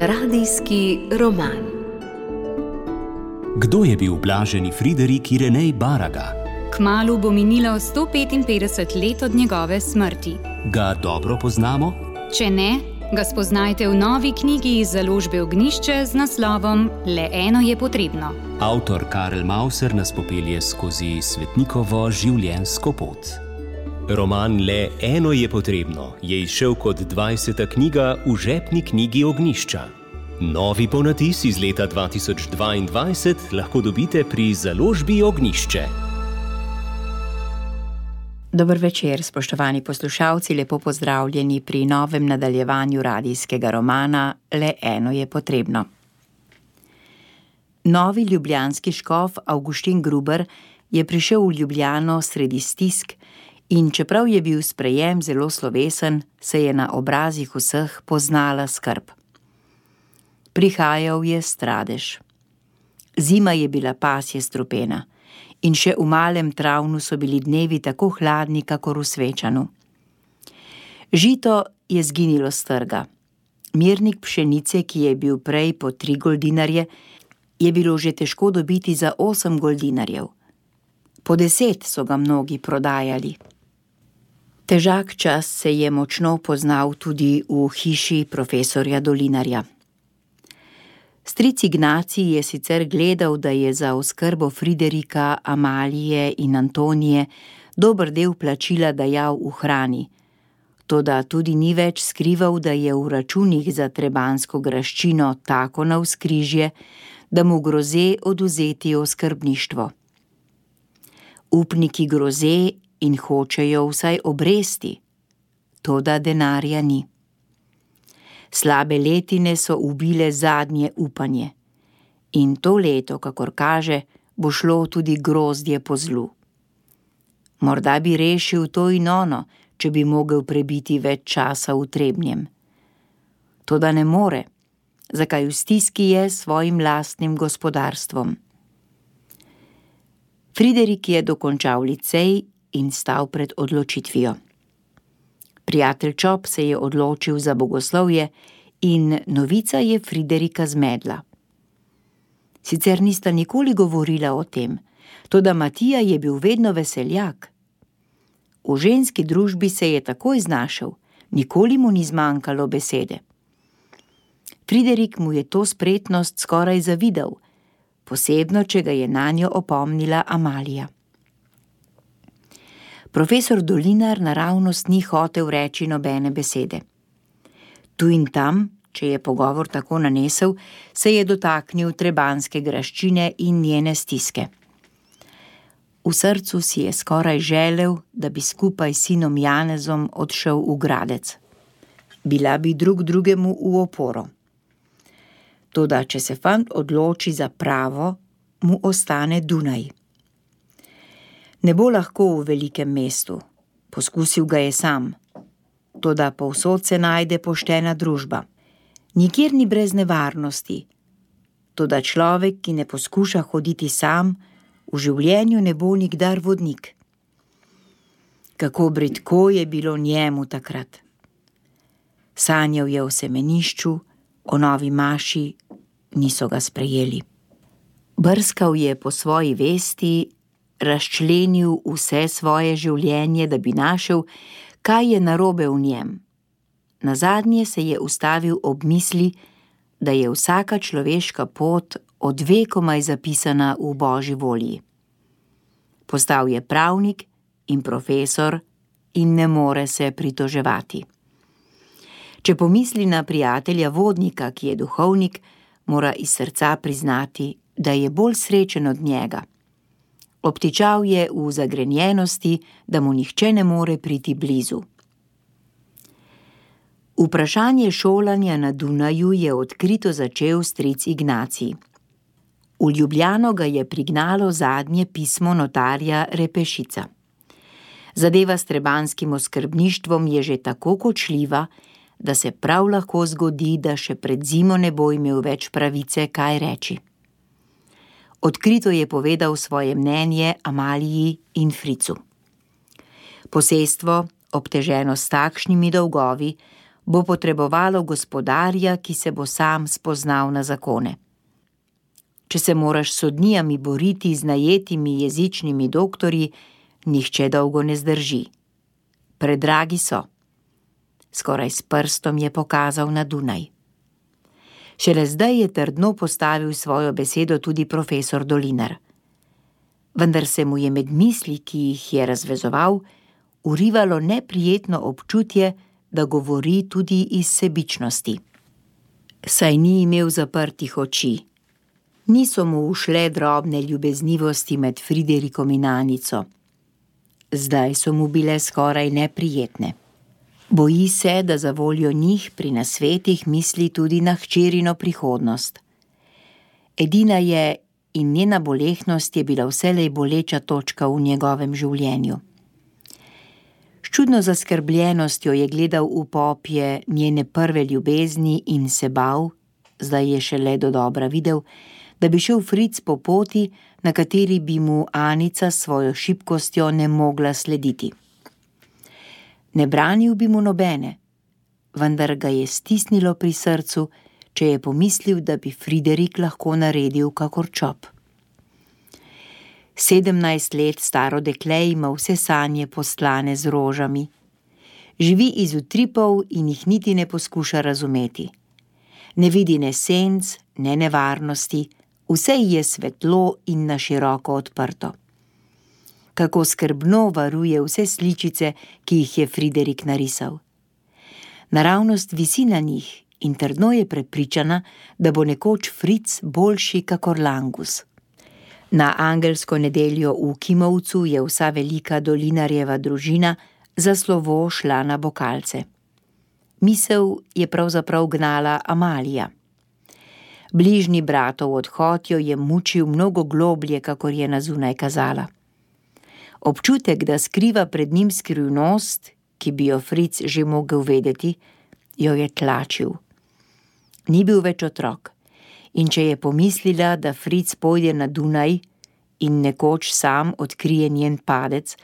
Radijski roman. Kdo je bil blaženi Friderik Irenej Baraga? Kmalu bo minilo 155 let od njegove smrti. Ga dobro poznamo? Če ne, ga spoznajte v novi knjigi iz založbe Ognjišče z naslovom Le eno je potrebno. Avtor Karel Mauser nas popelje skozi svetnikovo življenjsko pot. Roman Le eno je potrebno je izšel kot 20. knjiga v žepni knjigi Ognjišča. Novi ponatis iz leta 2022 lahko dobite pri založbi Ognjišče. Dober večer, spoštovani poslušalci, lepo pozdravljeni pri novem nadaljevanju radijskega romana Le eno je potrebno. Novi ljubljanski škof Avguštin Gruber je prišel v Ljubljano sredi stisk in čeprav je bil sprejem zelo slovesen, se je na obrazih vseh poznala skrb. Prihajal je stradež. Zima je bila pasje strupena in še v malem Travnu so bili dnevi tako hladni, kakor v Svečanu. Žito je zginilo s trga. Mirnik pšenice, ki je bil prej po 3 goldinarje, je bilo že težko dobiti za 8 goldinarjev. Po 10 so ga mnogi prodajali. Težak čas se je močno poznal tudi v hiši profesorja Dolinarja. Stric Ignacij je sicer gledal, da je za oskrbo Friderika, Amalije in Antonije dober del plačila dajal v hrani, toda tudi ni več skrival, da je v računih za trebanjsko graščino tako navzkrižje, da mu groze odvzeti oskrbništvo. Upniki groze in hočejo vsaj obresti, toda denarja ni. Slabe letine so ubile zadnje upanje in to leto, kakor kaže, bo šlo tudi grozdje po zlu. Morda bi rešil to in ono, če bi mogel prebiti več časa v Trebnjem. Toda ne more, zakaj v stiski je s svojim lastnim gospodarstvom. Friderik je dokončal licej in stal pred odločitvijo. Prijatelj Čop se je odločil za bogoslovje in novica je Friderika zmedla. Sicer nista nikoli govorila o tem, toda Matija je bil vedno veseljak. V ženski družbi se je takoj znašel, nikoli mu ni zmanjkalo besede. Friderik mu je to spretnost skoraj zavidal, posebno, če ga je nanjo opomnila Amalija. Profesor Dolinar naravnost ni hotel reči nobene besede. Tu in tam, če je pogovor tako nanesel, se je dotaknil trebanjske graščine in njene stiske. V srcu si je skoraj želel, da bi skupaj s sinom Janezom odšel v Gradec. Bila bi drug drugemu v oporo. Toda, če se fant odloči za pravo, mu ostane Dunaj. Ne bo lahko v velikem mestu, poskusil ga je sam, toda povsod se najde poštena družba. Nikjer ni brez nevarnosti, toda človek, ki ne poskuša hoditi sam, v življenju ne bo nikdar vodnik. Kako bridko je bilo njemu takrat. Sanjal je o semenišču, o novi maši, niso ga sprejeli. Brskal je po svoji vesti, razčlenil vse svoje življenje, da bi našel, kaj je narobe v njem. Nazadnje se je ustavil ob misli, da je vsaka človeška pot od vekomaj zapisana v Božji volji. Postal je pravnik in profesor in ne more se pritoževati. Če pomisli na prijatelja vodnika, ki je duhovnik, mora iz srca priznati, da je bolj srečen od njega. Obtičal je v zagrenjenosti, da mu nihče ne more priti blizu. Vprašanje šolanja na Dunaju je odkrito začel stric Ignacij. V Ljubljano ga je prignalo zadnje pismo notarja Repešica. Zadeva s trebanjskim oskrbništvom je že tako kočljiva, da se prav lahko zgodi, da še pred zimo ne bo imel več pravice kaj reči. Odkrito je povedal svoje mnenje Amaliji in Fricu. Posestvo, obteženo s takšnimi dolgovi, bo potrebovalo gospodarja, ki se bo sam spoznal na zakone. Če se moraš s sodnijami boriti z najetimi jezičnimi doktorji, nihče dolgo ne zdrži. Predragi so. Skoraj s prstom je pokazal na Dunaj. Šele zdaj je trdno postavil svojo besedo tudi profesor Dolinar. Vendar se mu je med misli, ki jih je razvezoval, urivalo neprijetno občutje, da govori tudi iz sebičnosti. Saj ni imel zaprtih oči. Niso mu ušle drobne ljubeznivosti med Friderikom in Anico. Zdaj so mu bile skoraj neprijetne. Boji se, da za voljo njih pri nasvetih misli tudi na hčerino prihodnost. Edina je in njena bolehnost je bila vselej boleča točka v njegovem življenju. S čudno zaskrbljenostjo je gledal v popje njene prve ljubezni in se bal, zdaj je šele dodobra videl, da bi šel Fritz po poti, na kateri bi mu Anica s svojo šibkostjo ne mogla slediti. Ne branil bi mu nobene, vendar ga je stisnilo pri srcu, če je pomislil, da bi Friderik lahko naredil kakor čop. 17 let staro dekle ima vse sanje postlane z rožami. Živi iz utripov in jih niti ne poskuša razumeti. Ne vidi ne senc, ne nevarnosti, vse je svetlo in na široko odprto. Kako skrbno varuje vse sličice, ki jih je Friderik narisal. Naravnost visi na njih in trdno je prepričana, da bo nekoč Fritz boljši kakor Langus. Na angelsko nedeljo v Kimovcu je vsa velika Dolinarjeva družina za slovo šla na Bokalce. Misel je pravzaprav gnala Amalija. Bližnji bratov odhod jo je mučil mnogo globlje, kakor je na zunaj kazala. Občutek, da skriva pred njim skrivnost, ki bi jo Fritz že mogel vedeti, jo je tlačil. Ni bil več otrok, in če je pomislila, da Fritz pojde na Dunaj in nekoč sam odkrije njen padec,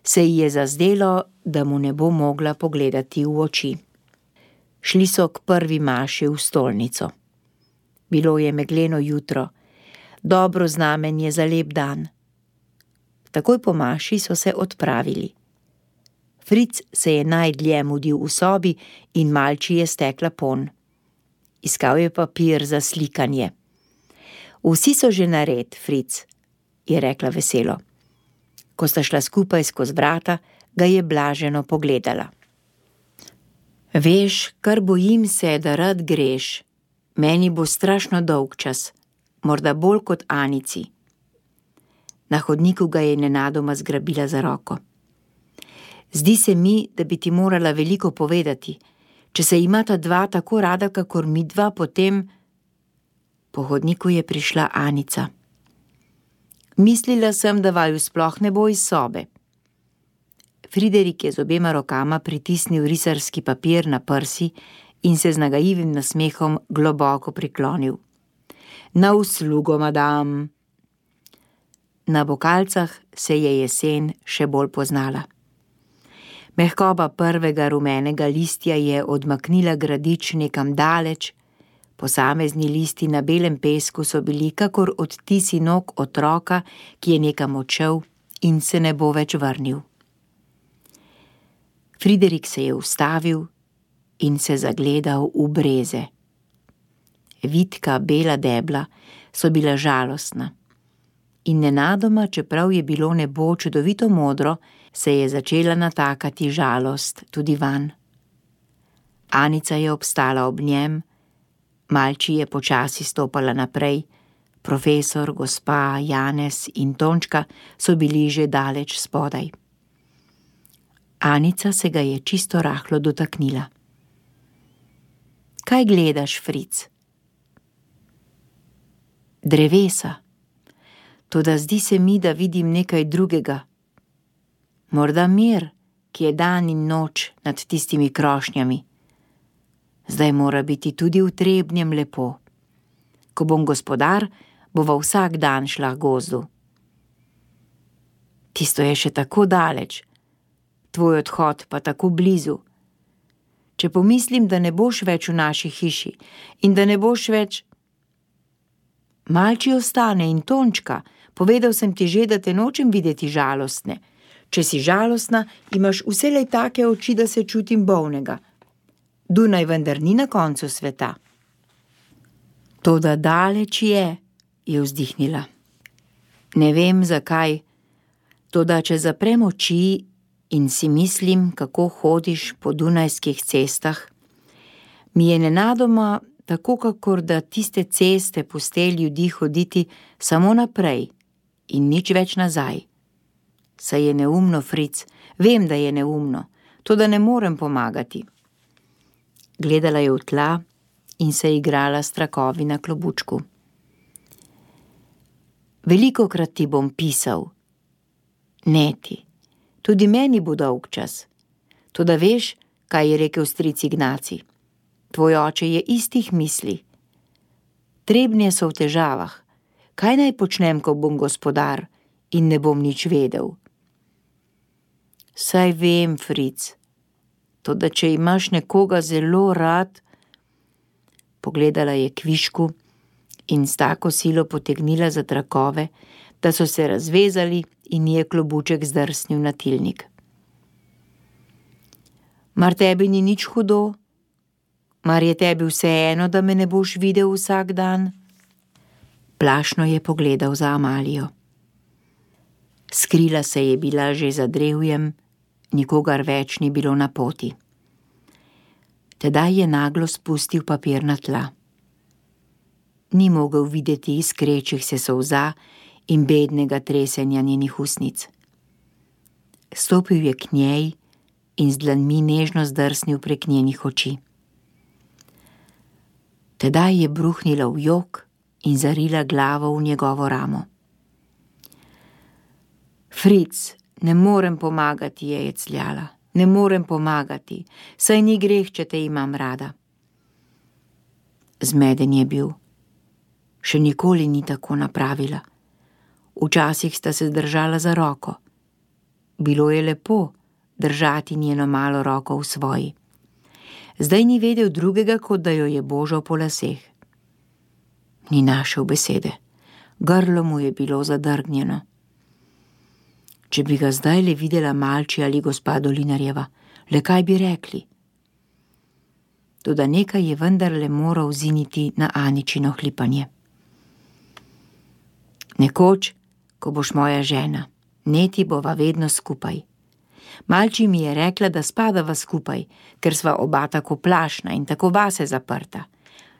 se ji je zazdelo, da mu ne bo mogla pogledati v oči. Šli so k prvi maši v stolnico. Bilo je megleno jutro, dobro znamenje za lep dan. Takoj po maši so se odpravili. Fritz se je najdlje mudil v sobi in malči je stekla ponj. Iskal je papir za slikanje. Vsi so že nared, Fritz, je rekla veselo. Ko sta šla skupaj skozi vrata, ga je blaženo pogledala. Veš, kar bojim se, da rad greš. Meni bo strašno dolg čas, morda bolj kot Anici. Na hodniku ga je nenadoma zgrabila za roko. Zdi se mi, da bi ti morala veliko povedati. Če se imata dva tako rada, kakor midva, potem... Po hodniku je prišla Anica. Mislila sem, da vaju sploh ne bo iz sobe. Friderik je z obema rokama pritisnil risarski papir na prsi in se z nagajivim nasmehom globoko priklonil. Na uslugo, madam. Na Bokalcah se je jesen še bolj poznala. Mehkoba prvega rumenega listja je odmaknila gradič nekam daleč, posamezni listi na belem pesku so bili kakor odtisi nog otroka, ki je nekam odšel in se ne bo več vrnil. Friderik se je ustavil in se zagledal v breze. Vitka bela debla so bila žalostna. In nenadoma, čeprav je bilo nebo čudovito modro, se je začela natakati žalost tudi van. Anica je obstala ob njem, malči je počasi stopala naprej, profesor, gospa, Janez in Tončka so bili že daleč spodaj. Anica se ga je čisto rahlo dotaknila. Kaj gledaš, Fritz? Drevesa. Toda zdi se mi, da vidim nekaj drugega. Morda mir, ki je dan in noč nad tistimi krošnjami. Zdaj mora biti tudi v Trebnjem lepo. Ko bom gospodar, bova vsak dan šla k gozdu. Tisto je še tako daleč, tvoj odhod pa tako blizu. če pomislim, da ne boš več v naši hiši in da ne boš več... Malči ostane in Tončka, povedal sem ti že, da te nočem videti žalostne. Če si žalostna, imaš vselej take oči, da se čutim bolnega. Dunaj vendar ni na koncu sveta. Toda daleč je vzdihnila. Ne vem zakaj, toda če zaprem oči in si mislim, kako hodiš po dunajskih cestah, mi je nenadoma tako, kakor da tiste ceste puste ljudi hoditi samo naprej in nič več nazaj. Saj je neumno, Fric, vem, da je neumno, toda ne morem pomagati. Gledala je v tla in se igrala s trakovi na klobučku. Velikokrat ti bom pisal. Ne ti, tudi meni bo dolg čas. Toda veš, kaj je rekel stric Ignaci? Tvoj oče je istih misli. Trebnje so v težavah. Kaj naj počnem, ko bom gospodar in ne bom nič vedel? Saj vem, Fric, toda če imaš nekoga zelo rad... Pogledala je kvišku in s tako silo potegnila za trakove, da so se razvezali in je klobuček zdrsnil na tilnik. Mar tebi ni nič hudo? Mar je tebi vseeno, da me ne boš videl vsak dan? Plašno je pogledal za Amalijo. Skrila se je bila že za drevjem, nikogar več ni bilo na poti. Tedaj je naglo spustil papir na tla. Ni mogel videti iskrečih se solza in bednega tresenja njenih usnic. Stopil je k njej in z dlanmi nežno zdrsnil prek njenih oči. Tedaj je bruhnila v jok in zarila glavo v njegovo ramo. Fric, ne morem pomagati, je jecljala. Ne morem pomagati, saj ni greh, če te imam rada. Zmeden je bil. Še nikoli ni tako napravila. Včasih sta se držala za roko. Bilo je lepo držati njeno malo roko v svoji. Zdaj ni vedel drugega, kot da jo je božal po laseh. Ni našel besede. Grlo mu je bilo zadrgnjeno. Če bi ga zdaj le videla Malči ali gospa Dolinarjeva, le kaj bi rekli? Toda nekaj je vendarle moral ziniti na Aničino hlipanje. Nekoč, ko boš moja žena, neti bova vedno skupaj. Malči mi je rekla, da spadava skupaj, ker sva oba tako plašna in tako vase zaprta.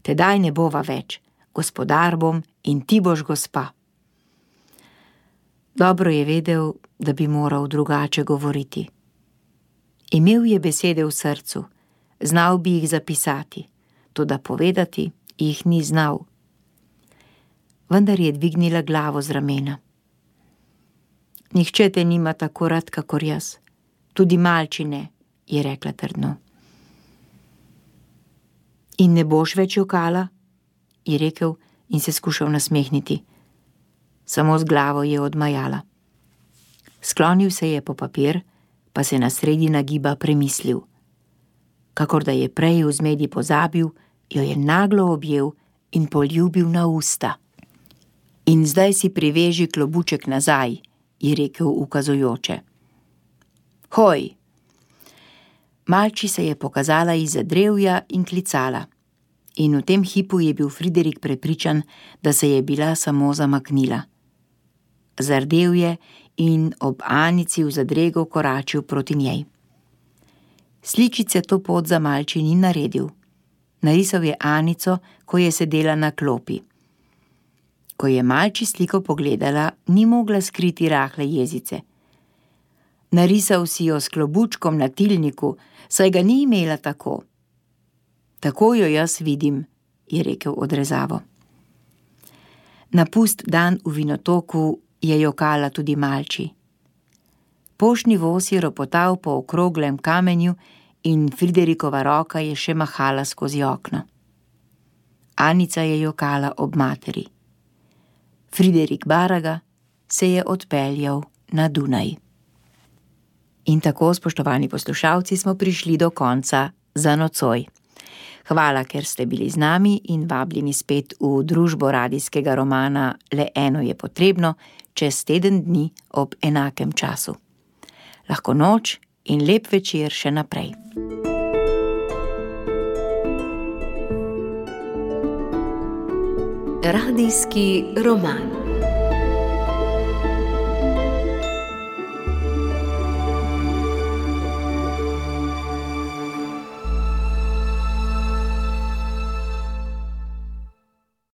Tedaj ne bova več, gospodar bom in ti boš gospa. Dobro je vedel, da bi moral drugače govoriti. Imel je besede v srcu, znal bi jih zapisati, toda povedati jih ni znal. Vendar je dvignila glavo z ramena. Nihče te nima tako rad, kakor jaz. Tudi Malči ne, je rekla trdno. In ne boš več jokala, je rekel in se skušal nasmehniti. Samo z glavo je odmajala. Sklonil se je po papir, pa se na sredi nagiba premislil. Kakor da je prej v zmedi pozabil, jo je naglo objel in poljubil na usta. In zdaj si priveži klobuček nazaj, je rekel ukazujoče. Hoj! Malči se je pokazala izza drevja in klicala. In v tem hipu je bil Friderik prepričan, da se je bila samo zamaknila. Zardel je in ob Anici v zadrego koračil proti njej. Sličice to pot za Malči ni naredil. Narisal je Anico, ko je sedela na klopi. Ko je Malči sliko pogledala, ni mogla skriti rahle jezice. Narisal si jo s klobučkom na tilniku, saj ga ni imela tako. Tako jo jaz vidim, je rekel odrezavo. Na pust dan v Vinotoku je jokala tudi Malči. Poštni voz je ropotal po okroglem kamenju in Friderikova roka je še mahala skozi okno. Anica je jokala ob materi. Friderik Baraga se je odpeljal na Dunaj. In tako, spoštovani poslušalci, smo prišli do konca za nocoj. Hvala, ker ste bili z nami in vabljeni spet v družbo radijskega romana Le eno je potrebno čez teden dni ob enakem času. Lahko noč in lep večer še naprej. Radijski roman.